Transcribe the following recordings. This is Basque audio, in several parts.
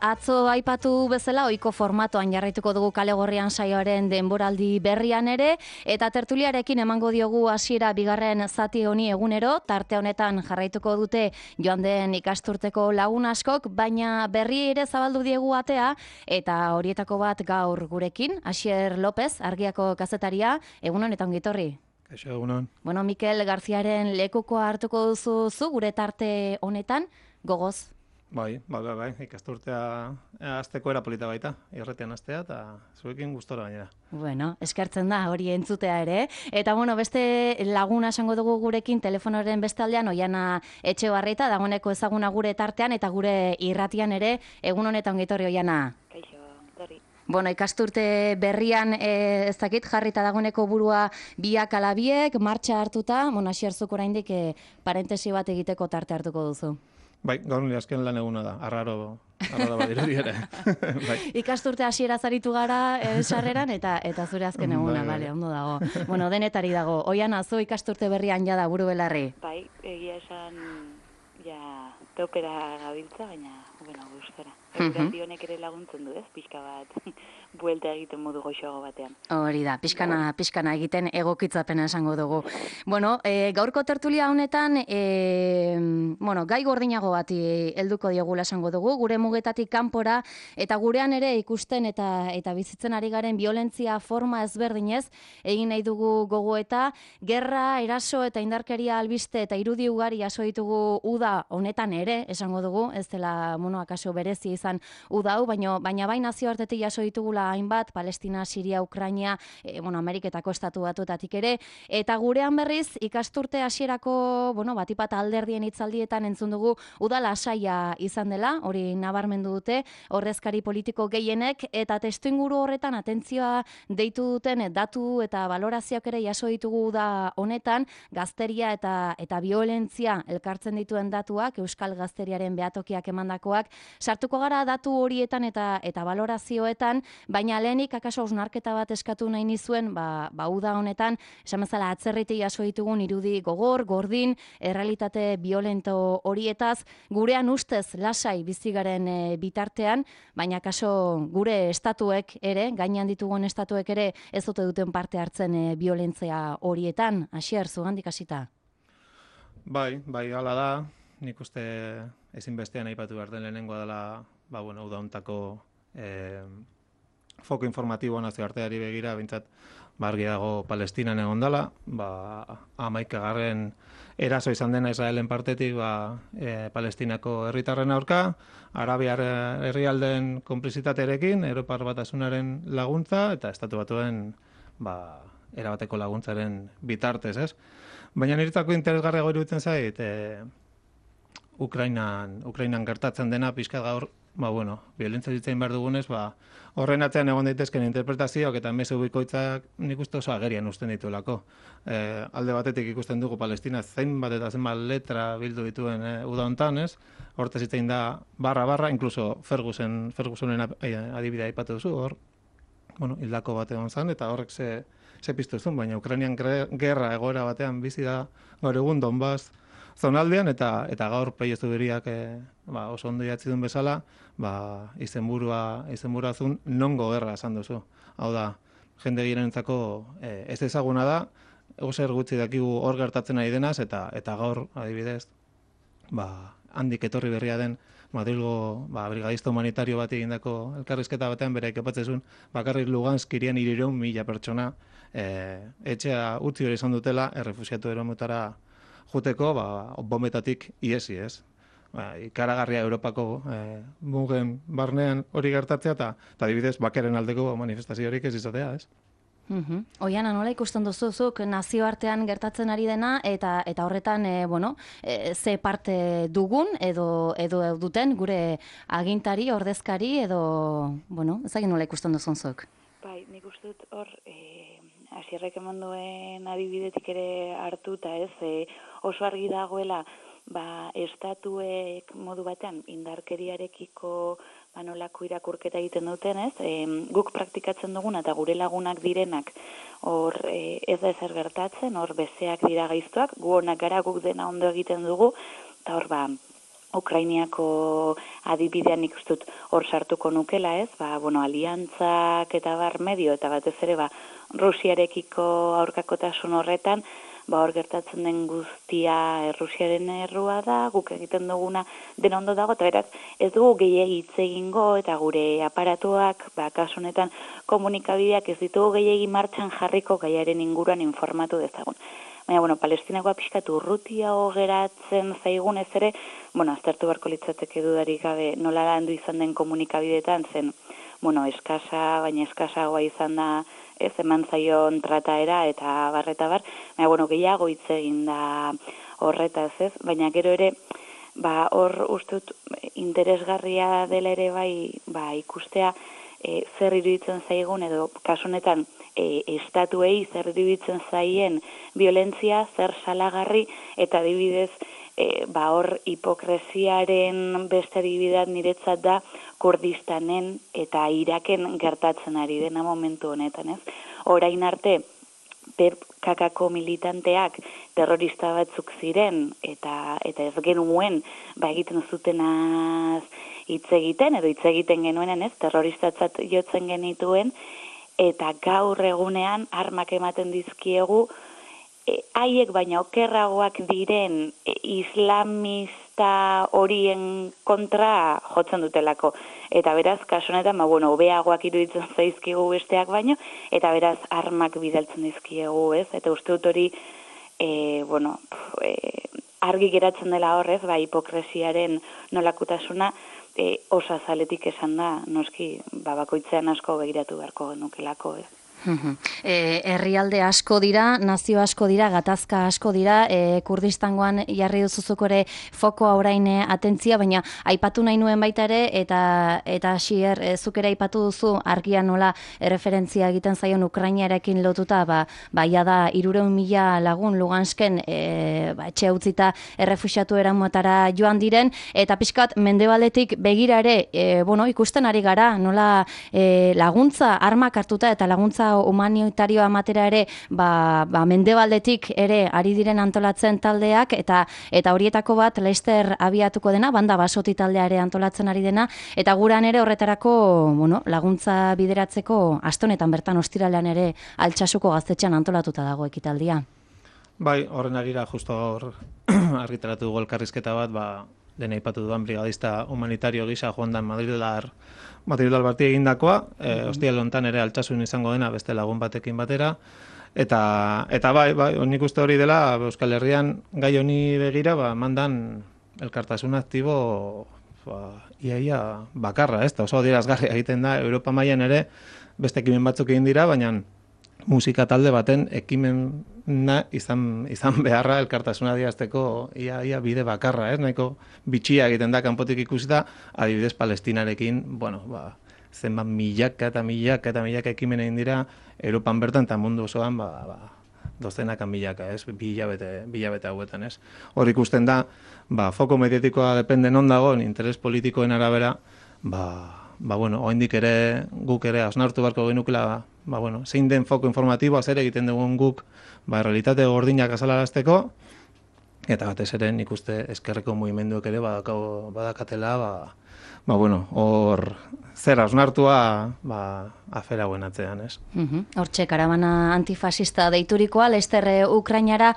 Atzo aipatu bezala, ohiko formatoan jarraituko dugu Kale Gorrian saioaren denboraldi berrian ere, eta tertuliarekin emango diogu hasiera bigarren zati honi egunero, tarte honetan jarraituko dute joan den ikasturteko lagun askok, baina berri ere zabaldu diegu atea, eta horietako bat gaur gurekin, Asier López, Argiako kazetaria, egunon eta ongitorri. Kaixo, egunon. Bueno, Mikel Garziaren lekukoa hartuko duzu gure tarte honetan, gogoz. Bai, ikasturtea hasteko era polita baita, irratian hastea eta zuekin gustora gainera. Bueno, eskertzen da hori entzutea ere. Eta beste laguna esango dugu gurekin telefonoren bestaldean, Oiana Etxebarrieta, dagoeneko ezaguna gure tartean eta gure irratian ere, egun honetan ongitorri Oiana. Kaixo, ongitorri. Bueno, ikasturte berrian ez dakit jarrita dagoeneko burua biak ala biek, martxa hartuta, Asier zuk oraindik parentesi bat egiteko tarte hartuko duzu. Bai, gaur nire azken lan eguna da, arraro badirudi ere. Bai. Ikasturte hasiera zaritu gara sarreran eta zure azken eguna, bale, ondo dago. Bueno, denetari dago. Oiana, zu ikasturte berrian jada buru belarri. Bai, egia esan ja teopera gabiltza, baina, gustora. Eguraldi honek ere laguntzen du, ez? Pixka bat, buelta egiten modu goxoago batean. Hori da, pixkana egiten egokitzapena esango dugu. Bueno, gaurko tertulia honetan, gai gordinago bati helduko diogula esango dugu, gure mugetatik kanpora, eta gurean ere ikusten eta bizitzen ari garen violentzia forma ezberdinez, egin nahi dugu gogoeta, gerra, eraso eta indarkeria albiste eta irudi ugari jaso ditugu uda honetan ere, esango dugu, ez dela, akaso berezi izan uda hau, baina bai nazioartetik jaso ditugula hainbat, Palestina, Siria, Ukraina, Ameriketako estatu batuetatik ere, eta gurean berriz ikasturte hasierako, batipat alderdien hitzaldietan entzun dugu uda lasaia izan dela, hori nabarmendu dute, ordezkari politiko gehienek, eta testuinguru horretan atentzioa deitu duten datu eta valorazioak ere jaso ditugu uda honetan, gazteria eta violentzia elkartzen dituen datuak, Euskal Gazteriaren behatokiak emandakoak, sartuko gara datu horietan eta valorazioetan, baina lehenik akaso hausnarketa bat eskatu nahi nizuen, uda honetan, esan bezala atzerritik jaso ditugun irudi gogor, gordin, errealitate violento horietaz, gurean ustez lasai bizigaren bitartean, baina akaso gure estatuek ere, gainean ditugun estatuek ere, ez duten parte hartzen violentzia horietan. Asier, zugandik hasita? Bai, hala da, nik uste ezinbestean aipatu behar den lehenengoa dela, uda hontako foko informatiboa nazioarteari begira, bintzat, argi dago Palestinan egon dela, 11. eraso izan dena Israelen partetik Palestinako herritarren aurka, Arabiar herrialdeen konplizitatearekin, Europar Batasunaren laguntza, eta Estatu Batuen erabateko laguntzaren bitartez, ez? Baina niretzako interesgarriago iruditzen zait, Ukrainan gertatzen dena pixka gaur, violentzia ditzein behar dugunez, horren atzean egon daitezken interpretazioak eta mezu bikoitzak nik uste oso agerian usten dituelako. Alde batetik ikusten dugu Palestina zenbat eta zenbat letra bildu dituen uda hontan, ez? Hortaz hitzein da barra, inkluso Fergusonen adibidea aipatu duzu, hor, hildako bat egon zen, eta horrek ze piztu zuen, baina Ukrainian gerra egoera batean bizi da gaur egun Donbass zonaldean, eta gaur Peio Zubiriak oso ondo idatzi duen bezala, izenburua zuen nongo gerra esan duzu. Hau da, jende girenentzako ez ezaguna da, zer gutxi dakigu hor gertatzen ari denaz, eta gaur, adibidez, handik etorri berria den Madrilgo brigadista humanitario bat egindako elkarrizketa batean bere kepatzezun, bakarrik Lugansk irian 300.000 pertsona etxea utzi hori izan dutela, errefusiatu eromutara juteko, bombetatik iesi, ez? Ikaragarria Europako mugen barnean hori gertatzea, eta adibidez, bakeren aldeko manifestaziorik ez izatea, ez? Oiana, nola ikusten duzuzuk nazioartean gertatzen ari dena, eta horretan, ze parte dugun, edo duten, gure agintari, ordezkari, edo, ezagin nola ikusten duzunzuk? Bai, nik uste dut hor, Asierrek eman duen adibidetik ere hartuta, ez, oso argi dagoela, estatuek modu batean indarkeriarekiko nolako irakurketa egiten duten, ez? Guk praktikatzen duguna eta gure lagunak direnak hor ez da ezer gertatzen, hor bezeak dira gaiztoak, gu honak gara, guk dena ondo egiten dugu, eta hor Ukrainiako adibidean nik uste dut hor sartuko nukela, ez? Aliantzak eta medio, eta batez ere, Rusiarekiko aurkakotasun horretan, hor gertatzen den guztia Rusiaren errua da, guk egiten duguna den ondo dago, eta beraz, ez dugu gehiegi hitz egingo, eta gure aparatuak, kasu honetan komunikabideak ez ditugu gehiegi martxan jarriko gaiaren inguruan informatu dezagun. Baina, Palestinakoa pixkat urrutiago geratzen zaigunez ere, aztertu beharko litzateke dudarik gabe nola landu izan den komunikabideetan zen, eskasa, baina eskasagoa izan da, ez eman zaion trataera eta bar, baina, gehiago hitz egin da horretaz, ez? Baina gero ere, hor ustut interesgarria dela ere ikustea zer iruditzen zaigun edo kasu honetan estatuei zer iruditzen zaien violentzia, zer salagarri eta adibidez hor hipokresiaren beste adibideak niretzat da Kurdistanen eta Iraken gertatzen ari dena momentu honetan, ez? Orain arte PKKko militanteak terrorista batzuk ziren eta ez genuen egiten zutenaz hitz egiten edo hitz egiten genuenen, ez? Terroristatzat jotzen genituen eta gaur egunean armak ematen dizkiegu haiek baina okerragoak diren islamista horien kontra jotzen dutelako. Eta beraz, kasu honetan, hobeagoak iruditzen zaizkigu besteak baino, eta beraz, armak bidaltzen dizkiegu, ez? Eta uste dut hori, argi geratzen dela horrez, hipokresiaren nolakutasuna, oso azaletik esan da, noski, bakoitzean asko begiratu beharko nukelako, ez? Herrialde asko dira, nazio asko dira, gatazka asko dira, Kurdistangoan jarri duzuzuk ere fokoa orain atentzia, baina aipatu nahi nuen baita ere, eta Xier, zuk ere aipatu duzu argia nola referentzia egiten zaion Ukrainarekin lotuta, ja da 300.000 lagun Lugansken etxe utzita errefuxiatu eramuetara joan diren, eta pixkat mendebaletik begira ere, ikusten ari gara, nola laguntza armak hartuta eta laguntza humanitarioa matera ere mendebaldetik ere ari diren antolatzen taldeak eta horietako bat Leicester abiatuko dena, banda basoti taldea ere antolatzen ari dena, eta guran ere horretarako laguntza bideratzeko astonetan bertan ostiralean ere Altsasuko gaztetxean antolatuta dago ekitaldia. Bai, horren arira justo hor argitaratu dugu elkarrizketa bat, lehen aipatu duan brigadista humanitario gisa joan dan Madrildar bati egindakoa, ostiral hontan ere Altsasun izango dena beste lagun batekin batera, eta bai, nik uste hori dela Euskal Herrian gai honi begira, mandan elkartasun aktibo iaia bakarra, ez da, oso adierazgarri egiten da, Europa mailan ere beste ekimen batzuk egin dira, baina musika talde baten ekimena izan beharra elkartasuna adierazteko ia bide bakarra, ez? Nahiko bitxia egiten da kanpotik ikusita, adibidez Palestinarekin, zenbat milaka eta milaka ekimen egin dira Europan bertan eta mundu osoan dozenakan milaka, ez? Bi hilabete hauetan, ez? Hor ikusten da, foko mediatikoa depende non dagoen, interes politikoen arabera, oraindik ere guk ere hausnartu beharko genukela, zein den foko informatiboa zer egiten dugun guk, realitate gordinak azalarazteko, eta batez ere nik uste ezkerreko mugimenduek ere badakatela, hor zer hausnartua afera hauen atzean, ez? Hortxe, karabana antifasista deiturikoa, Leicester Ukrainara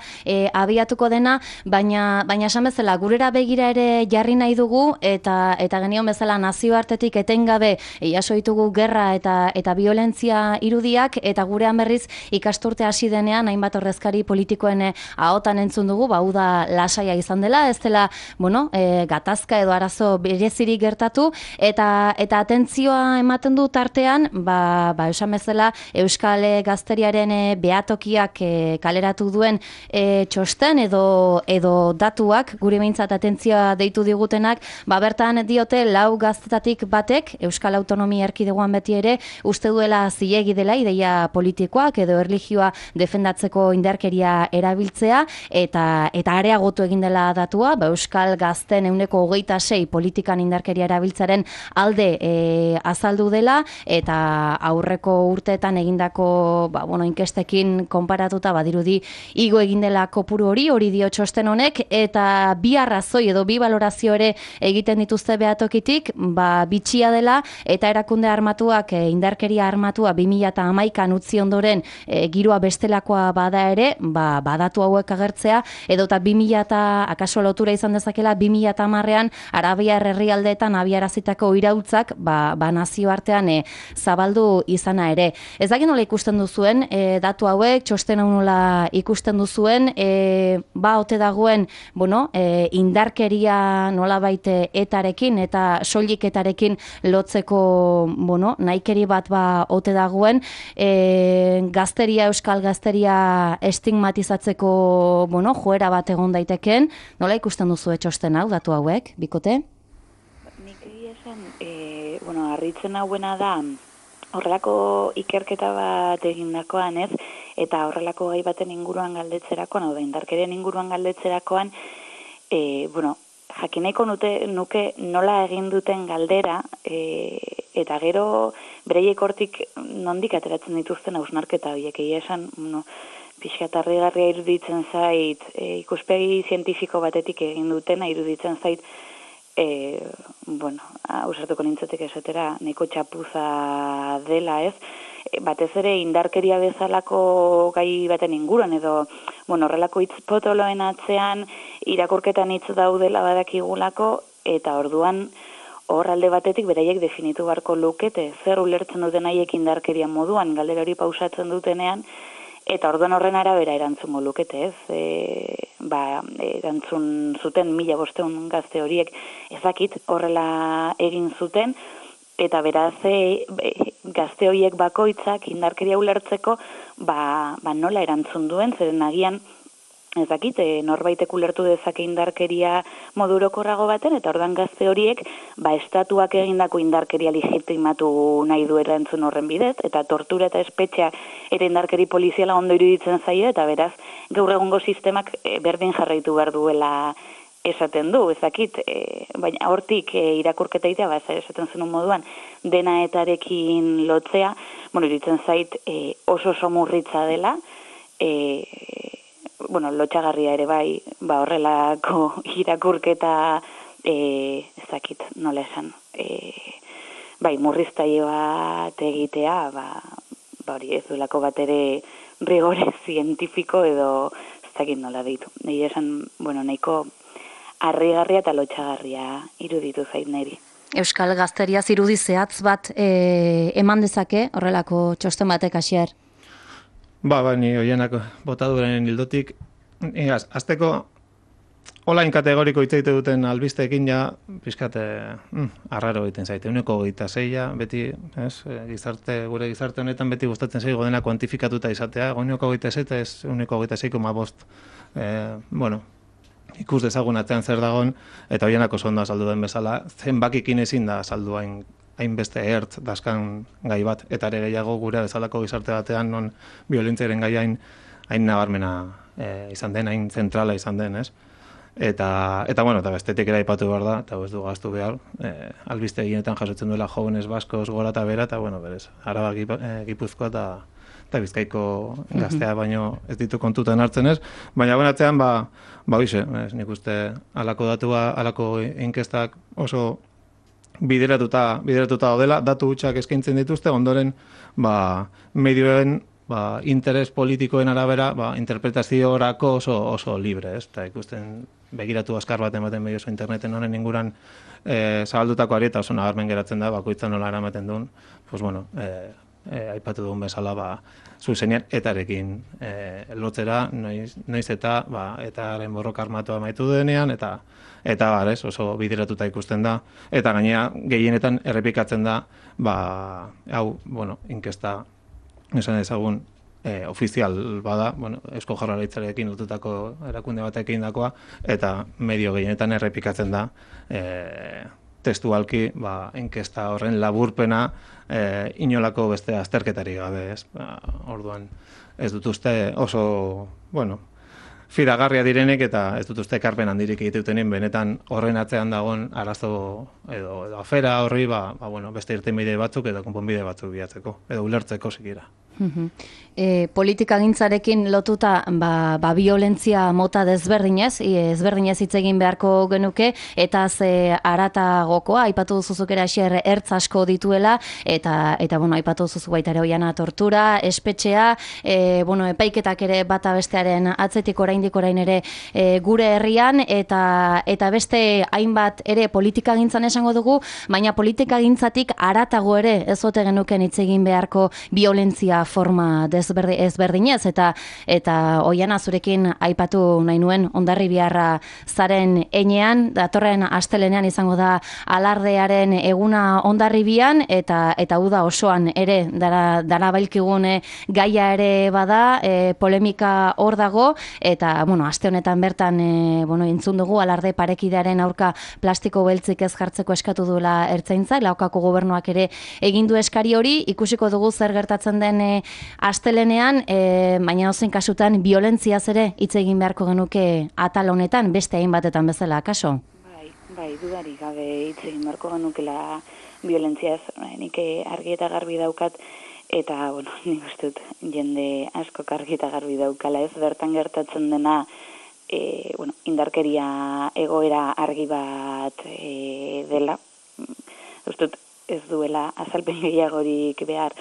abiatuko dena, baina esan bezala, gurera begira ere jarri nahi dugu, eta genion bezala nazioartetik etengabe jaso ditugu gerra eta violentzia irudiak, eta gurean berriz ikasturte hasi denean, hainbat ordezkari politikoen ahotan entzun dugu, da lasaia izan dela, ez dela, gatazka edo arazo berezirik gertatu, eta atentzioa ematen du tartean, esan bezala Euskal Gazteriaren behatokiak kaleratu duen txosten edo datuak, gure behintzat atentzioa deitu digutenak, bertan diote 4 gaztetatik batek, Euskal Autonomia Erkidegoan beti ere, uste duela zilegi dela ideia politikoak edo erlijioa defendatzeko indarkeria erabiltzea, eta areagotu egin dela datua, Euskal Gazten 26% politikan indarkeria erabiltzaren alde azaldu dela, eta aurreko urteetan egindako inkestekin konparatuta badirudi igo egin dela kopuru hori dio txosten honek, eta bi arrazoi edo bi balorazio ere egiten dituzte behatokitik, bitxia dela eta erakunde armatuak indarkeria armatua 2011an utzi ondoren giroa bestelakoa bada ere, badatu hauek agertzea, edota 2000 akaso lotura izan dezakela 2010ean Arabiar herrialdeetan abiarazitako irautzak nazioartean zabaldu izana ere. Ez dakit nola ikusten duzuen datu hauek, txosten hau nola ikusten duzuen, ote dagoen, indarkeria nolabait etarekin eta soilik etarekin lotzeko, nahikeri bat ote dagoen, gazteria, euskal gazteria estigmatizatzeko, joera bat egon daiteken, nola ikusten duzu txosten hau, datu hauek, bikote? Nik egia esan, harritzen hauena da, horrelako ikerketa bat egindakoan, ez? Eta horrelako gai baten inguruan galdetzerakoan, hau da, indarkerien inguruan galdetzerakoan, jakineko nuke nola egin duten galdera, eta gero bereiek hortik nondik ateratzen dituzten hausnarketa horiek, egia esan, pixkat harrigarria iruditzen zait, ikuspegi zientifiko batetik egin dutena iruditzen zait, ausartuko nintzatek esatera, nahiko txapuza dela, ez? Batez ere indarkeria bezalako gai baten inguruan, edo, horrelako hitz potoloen atzean irakurketan hitz daudela badakigulako, eta orduan hor alde batetik beraiek definitu beharko lukete, zer ulertzen duten haiek indarkeria moduan, galdera hori pausatzen dutenean, eta orduan horren arabera erantzungo lukete, ez? Erantzun zuten 1500 gazte horiek ezakit horrela egin zuten, eta beraz gazte horiek bakoitzak indarkeria ulertzeko nola erantzun duen, zeren agian ezakit, norbaitek ulertu dezake indarkeria modu orokorrago baten, eta orduan gazte horiek estatuak egindako indarkeria legitimatu nahi du erantzun horren bidez, eta tortura eta espetxea ere indarkeri poliziala ondo iruditzen zaio, eta beraz gaur egungo sistemak berdin jarraitu behar duela esaten du, ezakit, baina hortik irakurketa itea, esaten zenun moduan, dena etarekin lotzea, iruditzen zait oso somurritza dela, lotxagarria ere horrelako irakurketa, ezakit, nola esan, murriztaile bat egitea, hori ez duelako bat ere rigore zientifiko edo ezakit nola ditu. Egia esan, nahiko harrigarria eta lotxagarria iruditu zait niri. Euskal gazteriaz irudi zehatz bat eman dezake horrelako txosten batek Asier? Ni hoienak botaduren hildotik, azteko online kategoriko hitz egite duten albisteekin pixkat arraro egiten zaite. 26, beti, gure gizarte honetan beti gustatzen zaigu dena kuantifikatuta izatea, 26 ez 26,5, ikus dezagun atzean zer dagoen, eta hoienak oso ondo azaldu den bezala, zenbakikin ezin da azaldu hainbeste ertz daskan gai bat, eta ere gehiago gure bezalako gizarte batean non biolentziaren gai hain nabarmena izan den, hain zentrala izan den, ez? Eta bestetik ere aipatu behar da, eta ez du gaztu behar, albiste eginetan jasotzen duela Jóvenes Baskos gora eta bera, eta berez, Araba, Gipuzkoa eta Bizkaiko gaztea baino ez ditu kontutan hartzen ez, baina atzean, nik uste halako datua, halako inkestak oso bideratuta daudela, datu hutsak eskaintzen dituzte, ondoren medioen interes politikoen arabera interpretaziorako oso libre, ez? Eta ikusten begiratu azkar bat ematen medio oso interneten honen inguran zabaldutako ari eta oso nabarmen geratzen da, bakoitza nola eramaten duen, aipatu duen bezala zuzenean etarekin lotzera, noiz eta etaren borroka armatua amaitu denean, eta oso bideratuta ikusten da, eta gainera gehienetan errepikatzen da, inkesta esan ezagun ofizial bada, Eusko Jaurlaritzarekin lotutako erakunde batekin dakoa, eta medio gehienetan errepikatzen da testualki inkesta horren laburpena inolako beste azterketari gabe, ez? Orduan ez dut uste oso, fidagarria direnek eta ez dut uste ekarpen handirik egiteuten benetan horren atzean dagoen arazo edo afera horri beste irtenbide batzuk edo konponbide batzuk bilatzeko edo ulertzeko sikiera. Politikagintzarekin lotuta biolentzia mota desberdinez hitz egin beharko genuke eta ze haratagokoa aipatu duzuzukera xier ertz asko dituela eta aipatu duzuzu baita ere Oihana tortura, espetxea, epaiketak ere bata bestearen atzetik oraindik orain ere gure herrian eta beste hainbat ere politikagintzan esango dugu, baina politikagintzatik haratago ere ez ote genuken hitz egin beharko violentzia forma ezberdinez eta Oihana zurekin aipatu nahi nuen Hondarribiarra zaren enean, datorren astelenean izango da alardearen eguna Hondarribian eta uda osoan ere dara bailkigun gaia ere bada, polemika hor dago eta aste honetan bertan entzun dugu alarde parekidearen aurka plastiko beltzik ez jartzeko eskatu duela Ertzaintza, Laokako gobernuak ere egin du eskari hori, ikusiko dugu zer gertatzen den astelenean, baina ozen kasutan violentziaz ere hitz egin beharko genuke atal honetan, beste hainbatetan bezala, kaso? Bai, dudarik gabe hitz egin beharko genukela violentziaz, nik argi eta garbi daukat, eta, nik uste dut jende asko argi eta garbi daukala ez, bertan gertatzen dena, indarkeria egoera argi bat dela, uste dut ez duela azalpen gehiagorik behar,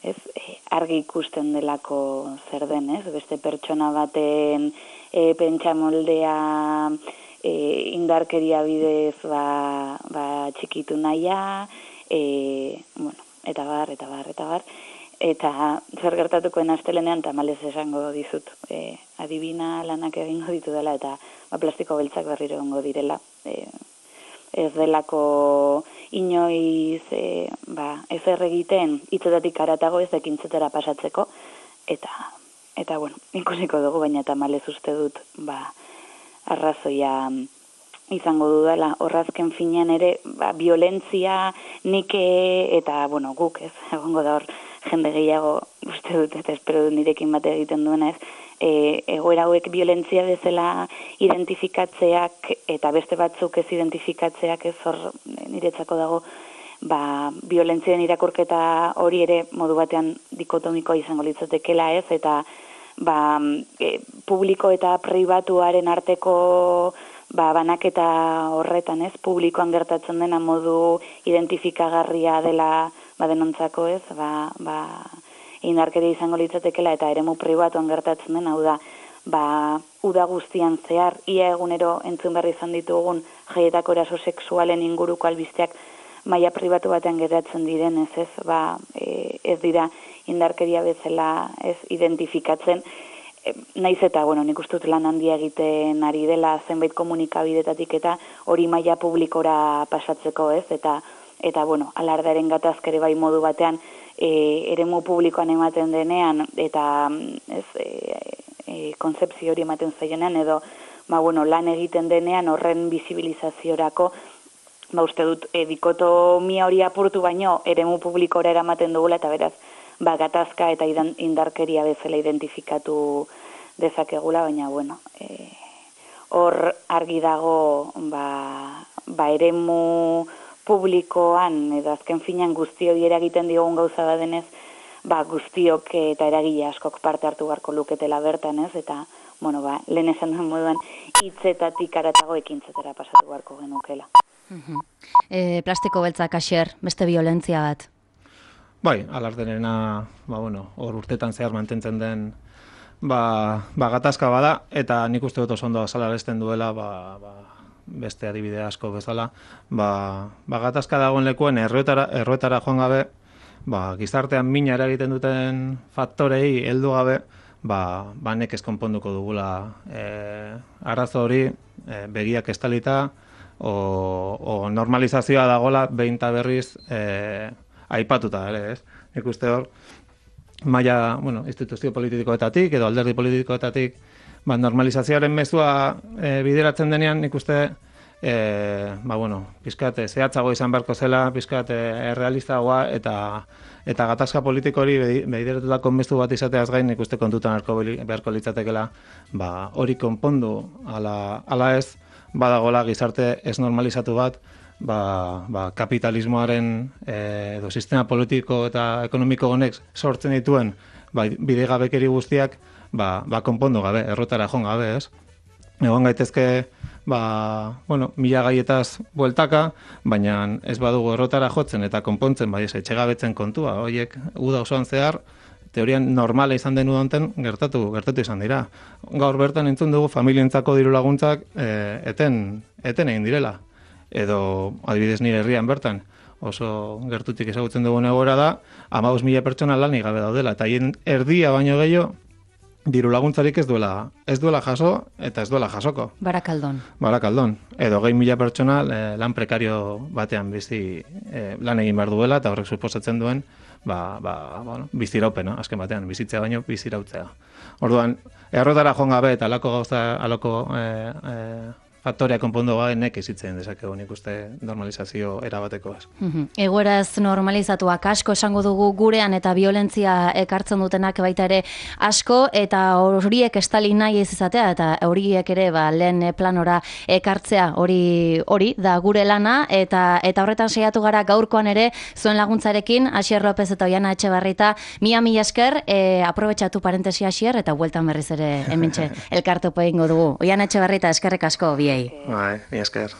ez, argi ikusten delako zer den, ez, beste pertsona baten pentsamoldea indarkeria bidez txikitu nahia, eta bar, eta zer gertatukoen astelenean tamalez esango dizut, adibina lanak egingo ditu dela, eta plastiko beltzak berriro egongo direla, ez delako inoiz ezer egiten hitzetatik haratago ez ekintzetara pasatzeko eta ikusiko dugu, baina tamalez uste dut arrazoia izango dudala horrazken finean ere violentzia nik eta guk ez egongo da hor jende gehiago uste dut eta espero dut nirekin bate egiten duena ez egoera hauek violentzia bezala identifikatzeak eta beste batzuk ez identifikatzeak ez hor niretzako dago violentzien irakurketa hori ere modu batean dikotomikoa izango litzatekeela ez eta publiko eta pribatuaren arteko banaketa horretan ez publikoan gertatzen dena modu identifikagarria dela denontzako ez indarkeria izango litzatekeela eta eremu pribatuan gertatzen den, hau da, uda guztian zehar, ia egunero entzun berri izan ditugun jaietako eraso sexualen inguruko albisteak maila pribatu batean geratzen diren, ez dira indarkeria bezala ez identifikatzen, naiz eta, nik uste dut lan handia egiten ari dela zenbait komunikabidetatik eta hori maila publikora pasatzeko ez, eta alardaren gatazkere bai modu batean eremu publikoan ematen denean eta konzepzio hori ematen zaionean edo lan egiten denean horren bizibilizaziorako uste dut dikotomia hori apurtu baino eremu publikora eramaten dugula eta beraz gatazka eta indarkeria bezala identifikatu dezakegula, baina hor argi dago eremu publikoan, edo azken finean guztioi eragiten diogun gauza badenez, guztiok eta eragile askok parte hartu beharko luketela bertan ez, eta, lehen esan duen moduan, hitzetatik haratago ekintzetara pasatu beharko genukela. Plastiko beltzak Asier, beste violentzia bat. Bai, alarderena, hor urtetan zehar mantentzen den, gatazka bada, eta nik uste dut oso ondo azalaresten duela, beste adibide asko bezala, gatazka dagoen lekuen erroetara joan gabe, gizartean mina eragiten duten faktorei heldu gabe, nekez konponduko dugula arazo hori begiak estalita, o normalizazioa dagola behin eta berriz aipatuta ere, ez? Nik uste hor, maila, instituzio politikoetatik edo alderdi politikoetatik normalizazioaren mezua bideratzen denean, nik uste pizkat zehatzago izan beharko zela, pizkat errealistagoa eta gatazka politiko hori behideretutako mezu bat izateaz gain nik uste kontutan beharko litzatekela, hori konpondu ala ez, badagola gizarte ez normalizatu bat, kapitalismoaren edo sistema politiko eta ekonomiko honek sortzen dituen bidegabekeri guztiak konpondu gabe, errotara joan gabe, ez? Egon gaitezke, mila gaietaz bueltaka, baina ez badugu errotara jotzen eta konpontzen, etxegabetzen kontua, horiek uda osoan zehar, teorian normala izan den udonten gertatu izan dira. Gaur bertan entzun dugu familientzako diru laguntzak eten egin direla. Edo, adibidez nire herrian bertan, oso gertutik ezagutzen dugun egoera da, 15.000 pertsona lanik gabe daudela, eta hien erdia baino gehiago, diru laguntzarik ez duela jaso eta ez duela jasoko. Barakaldon. Edo 20.000 pertsona lan prekario batean bizi lan egin behar duela, eta horrek suposatzen duen biziraupena, azken batean, bizitzea baino bizirautzea. Orduan, errotara joan gabe eta alako faktoria konpondo gaenek izitzen dezakegu nik uste normalizazio erabateko ez. Egoeraz normalizatuak asko esango dugu gurean eta violentzia ekartzen dutenak baita ere asko eta horiek estali nahi ez izatea eta horiek ere lehen planora ekartzea hori da gure lana eta horretan saiatu gara gaurkoan ere zuen laguntzarekin Asier López eta Oiana Etxebarrieta mila esker aprobetxatu parentesi Asier eta bueltan berriz ere hementxe elkartopo egingo dugu. Oiana Etxebarrieta eskerrek asko biei. Bai, mi esker.